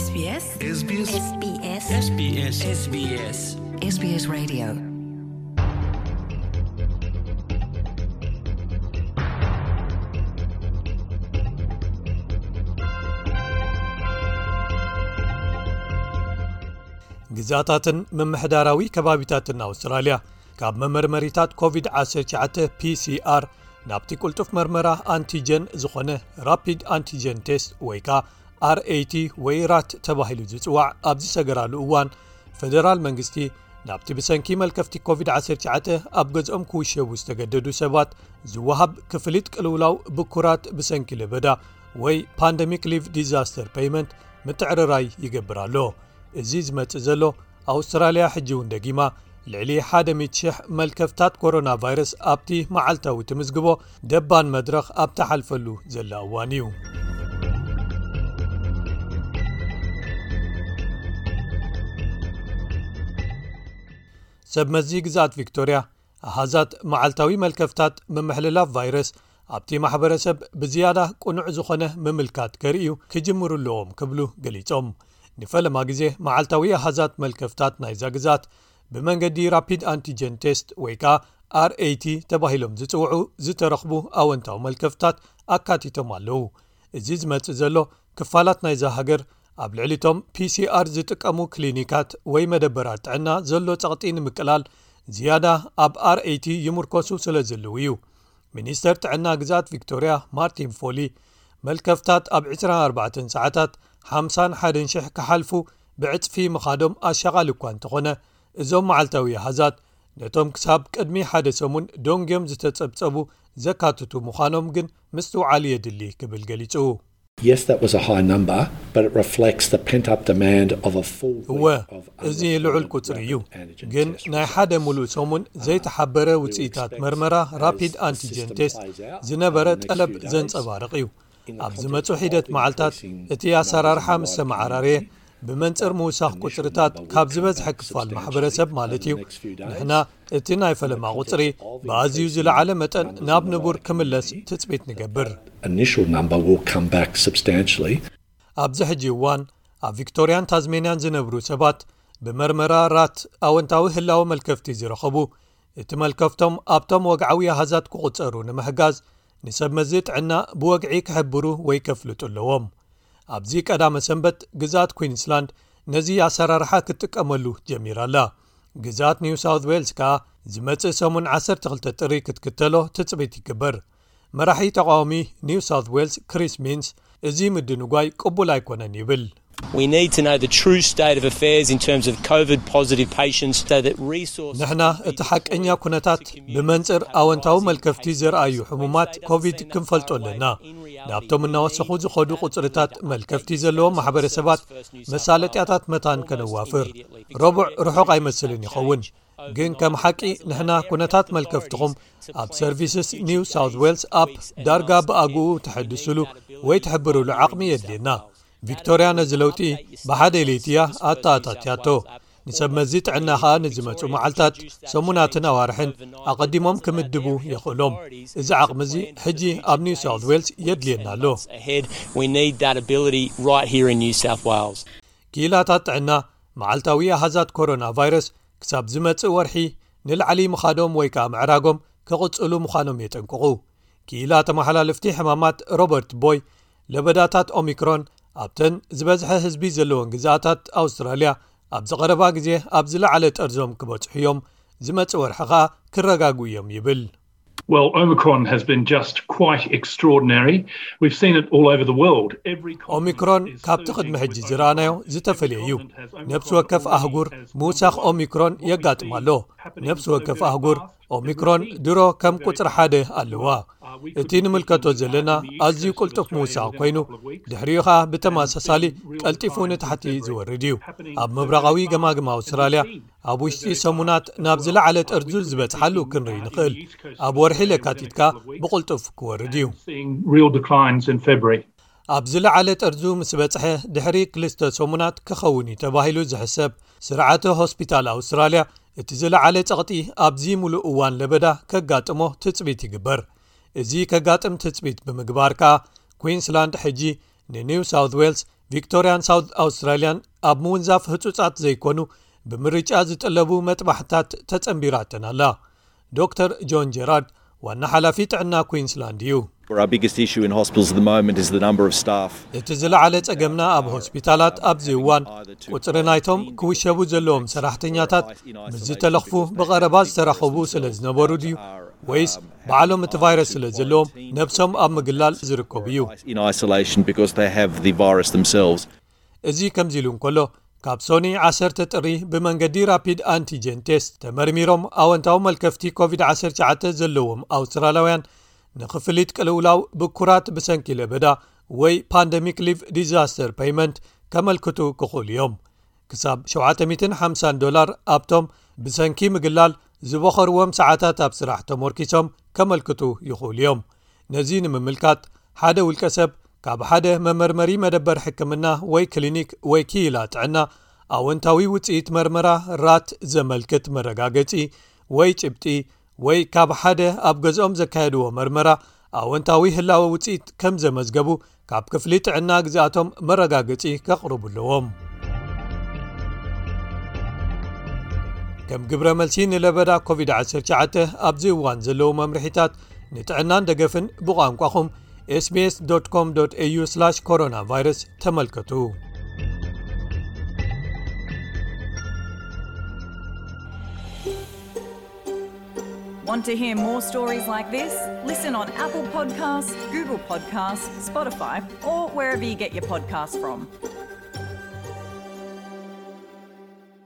SBS SBS SBS SBS SBS SBS Radio. ግዛታትን ምምሕዳራዊ ከባቢታትን ኣውስትራልያ ካብ መመርመሪታት ኮቪድ ዓሰርተ ትሽዓተ፣ ፒ ሲ ኣር፣ ናብቲ ቅልጡፍ መርመራ ኣንቲጀን ዝኾነ ራፒድ ኣንቲጀን ቴስት ወይ ከኣ ኣር ኤ ቲ ወይ ራት ተባሂሉ ዝጽዋዕ ኣብ ዝሰገራሉ እዋን፣ ፈደራል መንግስቲ ናብቲ ብሰንኪ መልከፍቲ ኮቪድ ዓሰርተ ትሽዓተ ኣብ ገዝኦም ክውሸቡ ዝተገደዱ ሰባት ዝወሃብ ክፍሊት ቅልውላው ብኩራት ብሰንኪ ለበዳ ወይ ፓንደሚክ ሊቭ ዲዛስተር ፔይመንት ምትዕርራይ ይገብር ኣሎ። እዚ ዝመጽእ ዘሎ፣ ኣውስትራልያ ሕጂ እውን ደጊማ ልዕሊ ሓደ ሚእቲ ሽሕ መልከፍታት ኮሮና ቫይረስ ኣብቲ መዓልታዊ ትምዝግቦ ደባን መድረኽ ኣብ ትሓልፈሉ ዘላ እዋን እዩ። ሰብ መዚ ግዝኣት ቪክቶርያ፣ ኣሃዛት መዓልታዊ መልከፍታት ምምሕልላፍ ቫይረስ ኣብቲ ማሕበረሰብ ብዝያዳ ቅኑዕ ዝኾነ ምምልካት ከርእዩ ክጅምሩ ኣለዎም ክብሉ ገሊጾም። ንፈለማ ግዜ መዓልታዊ ኣሃዛት መልከፍታት ናይዛ ግዝኣት ብመንገዲ ራፒድ ኣንቲጀን ቴስት ወይ ከኣ ኣር ኤ ቲ ተባሂሎም ዝጽውዑ ዝተረኽቡ ኣወንታዊ መልከፍታት ኣካቲቶም ኣለዉ። እዚ ዝመጽእ ዘሎ፣ ክፋላት ናይዛ ሃገር ኣብ ልዕሊቶም ፒ ሲ ኣር ዝጥቀሙ ክሊኒካት ወይ መደበራት ጥዕና ዘሎ ጸቕጢ ንምቅላል ዝያዳ ኣብ ኣር ኤ ቲ ይምርኮሱ ስለ ዘለዉ እዩ። ሚኒስተር ጥዕና ግዝኣት ቪክቶርያ ማርቲን ፎሊ፣ መልከፍታት ኣብ ዕስራን ኣርባዕተን ሰዓታት ሓምሳን ሓደን ሽሕ ክሓልፉ ብዕጽፊ ምኻዶም ኣሻቓሊ እኳ እንተኾነ፣ እዞም መዓልታዊ ኣሃዛት ነቶም ክሳብ ቅድሚ ሓደ ሰሙን ደንጉዮም ዝተጸብጸቡ ዘካትቱ ምዃኖም ግን ምስትውዓል የድሊ ክብል ገሊጹ። Yes, that was a high number, but it reflects the pent-up demand of a full week እወ፣ of እዚ ልዑል unreported ቁጽሪ እዩ። Rapid Antigen ግን Test ናይ ሓደ results. ሙሉእ ሰሙን ዘይተሓበረ ውጽኢታት መርመራ ራፒድ ኣንቲጀን ቴስት ዝነበረ ጠለብ ዘንጸባርቕ እዩ። ኣብ ዝመጹ ሒደት መዓልታት እቲ ኣሰራርሓ ምስ ተመዓራረየ፣ ብመንጽር ምውሳኽ ቁጽርታት ካብ ዝበዝሐ ክፋል ማሕበረሰብ ማለት እዩ፣ ንሕና እቲ ናይ ፈለማ ቁጽሪ ብኣዝዩ ዝለዓለ መጠን ናብ ንቡር ክምለስ ትጽቢት ንገብር። Initial number will come back substantially. ኣብዚ ሕጂ እዋን ኣብ ቪክቶርያን ታዝሜንያን ዝነብሩ ሰባት ብመርመራ ራት ኣወንታዊ ህላወ መልከፍቲ ዝረኸቡ፣ እቲ መልከፍቶም ኣብቶም ወግዓዊ ኣሃዛት ክቑጸሩ ንምሕጋዝ ንሰብ መዚ ጥዕና ብወግዒ ክሕብሩ ወይ ከፍልጡ ኣለዎም። ኣብዚ ቀዳመ ሰንበት ግዝኣት ኩዊንስላንድ ነዚ ኣሰራርሓ ክትጥቀመሉ ጀሚራ ኣላ። ግዝኣት ኒው ሳውት ዌልስ ከኣ ዝመጽእ ሰሙን ዓሰርተ ክልተ ጥሪ ክትክተሎ ትጽቢት ይግበር። መራሒ ተቃዋሚ ኒው ሳውት ዌልስ ክሪስ ሚንስ፣ እዚ ምድንጓይ ቅቡል ኣይኮነን ይብል። We need to know the true state of affairs in terms of COVID positive patients so that resources ንሕና እቲ ሓቀኛ ኩነታት ብመንጽር ኣወንታዊ መልከፍቲ ዘርኣዩ ሕሙማት ኮቪድ ክንፈልጦ ኣለና። ናብቶም እናወሰኹ ዝኸዱ ቁጽርታት መልከፍቲ ዘለዎም ማሕበረሰባት መሳለጥያታት መታን ከነዋፍር። ረቡዕ ርሑቕ ኣይመስልን ይኸውን። ግን ከም ሓቂ ንሕና ኩነታት መልከፍትኹም ኣብ ሰርቪስስ ኒው ሳውት ዌልስ ኣፕ ዳርጋ ብኣግኡ ተሐድስሉ ወይ ትሕብርሉ ዓቕሚ የድልየና። ቪክቶርያ ነዚ ለውጢ ብሓደ ለይቲ እያ ኣተኣታትያቶ። ንሰብ መዚ ጥዕና ኸኣ ንዝመጹ መዓልታት፣ ሰሙናትን ኣዋርሕን ኣቐዲሞም ክምድቡ የኽእሎም። እዚ ዓቕሚ እዚ ሕጂ ኣብ ኒው ሳውት ዌልስ የድልየና ኣሎ። Ahead, we need that ability right here in New South Wales. ክኢላታት ጥዕና መዓልታዊ ኣሃዛት ኮሮና ቫይረስ ክሳብ ዝመጽእ ወርሒ ንላዕሊ ምኻዶም ወይ ከኣ ምዕራጎም ክቕጽሉ ምዃኖም የጠንቅቑ። ክኢላ ተመሓላለፍቲ ሕማማት ሮበርት ቦይ፣ ለበዳታት ኦሚክሮን ኣብተን ዝበዝሐ ህዝቢ ዘለወን ግዝኣታት ኣውስትራልያ ኣብ ዝቐረባ ግዜ ኣብ ዝለዓለ ጠርዞም ክበጽሑ እዮም፣ ዝመጽእ ወርሒ ኸኣ ክረጋግኡ እዮም ይብል። Well, Omicron has been just quite extraordinary. We've seen it all over the world. Every continent ኦሚክሮን is ካብቲ surging ቅድሚ ሕጂ with ዝረኣናዮ Omicron. ዝተፈለየ እዩ። Every continent has ነፍሲ ወከፍ Omicron አህጉር wave as ምውሳኽ Omicron ኦሚክሮን is what we የጋጥም see ኣሎ። happening ነፍሲ so ወከፍ very ኣህጉር fast. ኦሚክሮን ድሮ ከም ቁጽሪ ሓደ ኣለዋ። እቲ ንምልከቶ ዘለና ኣዝዩ ቅልጡፍ ምውሳኽ ኮይኑ፣ ድሕሪኡ ኸኣ ብተመሳሳሊ ቀልጢፉ ንታሕቲ ዝወርድ እዩ። ኣብ ምብራቓዊ ገማግም ኣውስትራልያ ኣብ ውሽጢ ሰሙናት ናብ ዝለዓለ ጠርዙ ዝበጽሓሉ ክንርኢ ንኽእል። ኣብ ወርሒ ለካቲት ከኣ ብቕልጡፍ ክወርድ እዩ። Seeing real declines in February. ኣብ ዝለዓለ ጠርዙ ምስ በጽሐ ድሕሪ ክልተ ሰሙናት ክኸውን እዩ ተባሂሉ ዝሕሰብ ስርዓተ ሆስፒታል ኣውስትራልያ፣ እቲ ዝለዓለ ጸቕጢ ኣብዚ ምሉእ እዋን ለበዳ ከጋጥሞ ትጽቢት ይግበር። እዚ ከጋጥም ትጽቢት ብምግባር ከኣ፣ ኩዊንስላንድ ሕጂ ንኒው ሳውት ዌልስ ቪክቶርያን ሳውት ኣውስትራልያን ኣብ ምውንዛፍ ህጹጻት ዘይኮኑ ብምርጫ ዝጥለቡ መጥባሕታት ተጸንቢራተን ኣላ። ዶክተር ጆን ጀራርድ ዋና ሓላፊ ጥዕና ኩዊንስላንድ እዩ። Our biggest issue in hospitals at the moment is the number of staff. እቲ ዝለዓለ ጸገምና ኣብ ሆስፒታላት ኣብዚ እዋን ቁጽሪ ናይቶም ክውሸቡ ዘለዎም ሰራሕተኛታት ምስ ዝተለኽፉ ብቐረባ ዝተራኸቡ ስለ ዝነበሩ ድዩ ወይስ ባዕሎም እቲ ቫይረስ ስለ ዘለዎም ነብሶም ኣብ ምግላል ዝርከቡ እዩ? In isolation because they have the virus themselves. እዚ ከምዚ ኢሉ እንከሎ ካብ ሶኒ ዓሰርተ ጥሪ ብመንገዲ ራፒድ ኣንቲጀን ቴስት ተመርሚሮም ኣወንታዊ መልከፍቲ ኮቪድ ዓሰርተ ትሽዓተ ዘለዎም ኣውስትራልያውያን ንክፍሊት ቅልውላው ብኩራት ብሰንኪ ለበዳ ወይ ፓንደሚክ ሊቭ ዲዛስተር ፔይመንት ከመልክቱ ክኽእሉ እዮም። ክሳብ ሸውዓተ ሚእትን ሓምሳን ዶላር ኣብቶም ብሰንኪ ምግላል ዝበኸርዎም ሰዓታት ኣብ ስራሕ ተሞርኪሶም ከመልክቱ ይኽእሉ እዮም። ነዚ ንምምልካት ሓደ ውልቀ ሰብ ካብ ሓደ መመርመሪ መደበር ሕክምና ወይ ክሊኒክ ወይ ክኢላ ጥዕና ኣወንታዊ ውጽኢት መርመራ ራት ዘመልክት መረጋገጺ ወይ ጭብጢ ወይ ካብ ሓደ ኣብ ገዝኦም ዘካየድዎ መርመራ ኣወንታዊ ህላወ ውጽኢት ከም ዘመዝገቡ ካብ ክፍሊ ጥዕና ግዝኣቶም መረጋገጺ ከቕርቡ ኣለዎም። ከም ግብረ መልሲ ንለበዳ ኮቪድ ዓሰርተ ትሽዓተ ኣብዚ እዋን ዘለዉ መምርሒታት ንጥዕናን ደገፍን ብቋንቋኹም ኤስቢኤስ ዶት ኮም ዶት ኤዩ ስላሽ ኮሮና ቫይረስ ተመልከቱ። Want to hear more stories like this? Listen on Apple Podcasts, Google Podcasts, Spotify, or wherever you get your podcasts from.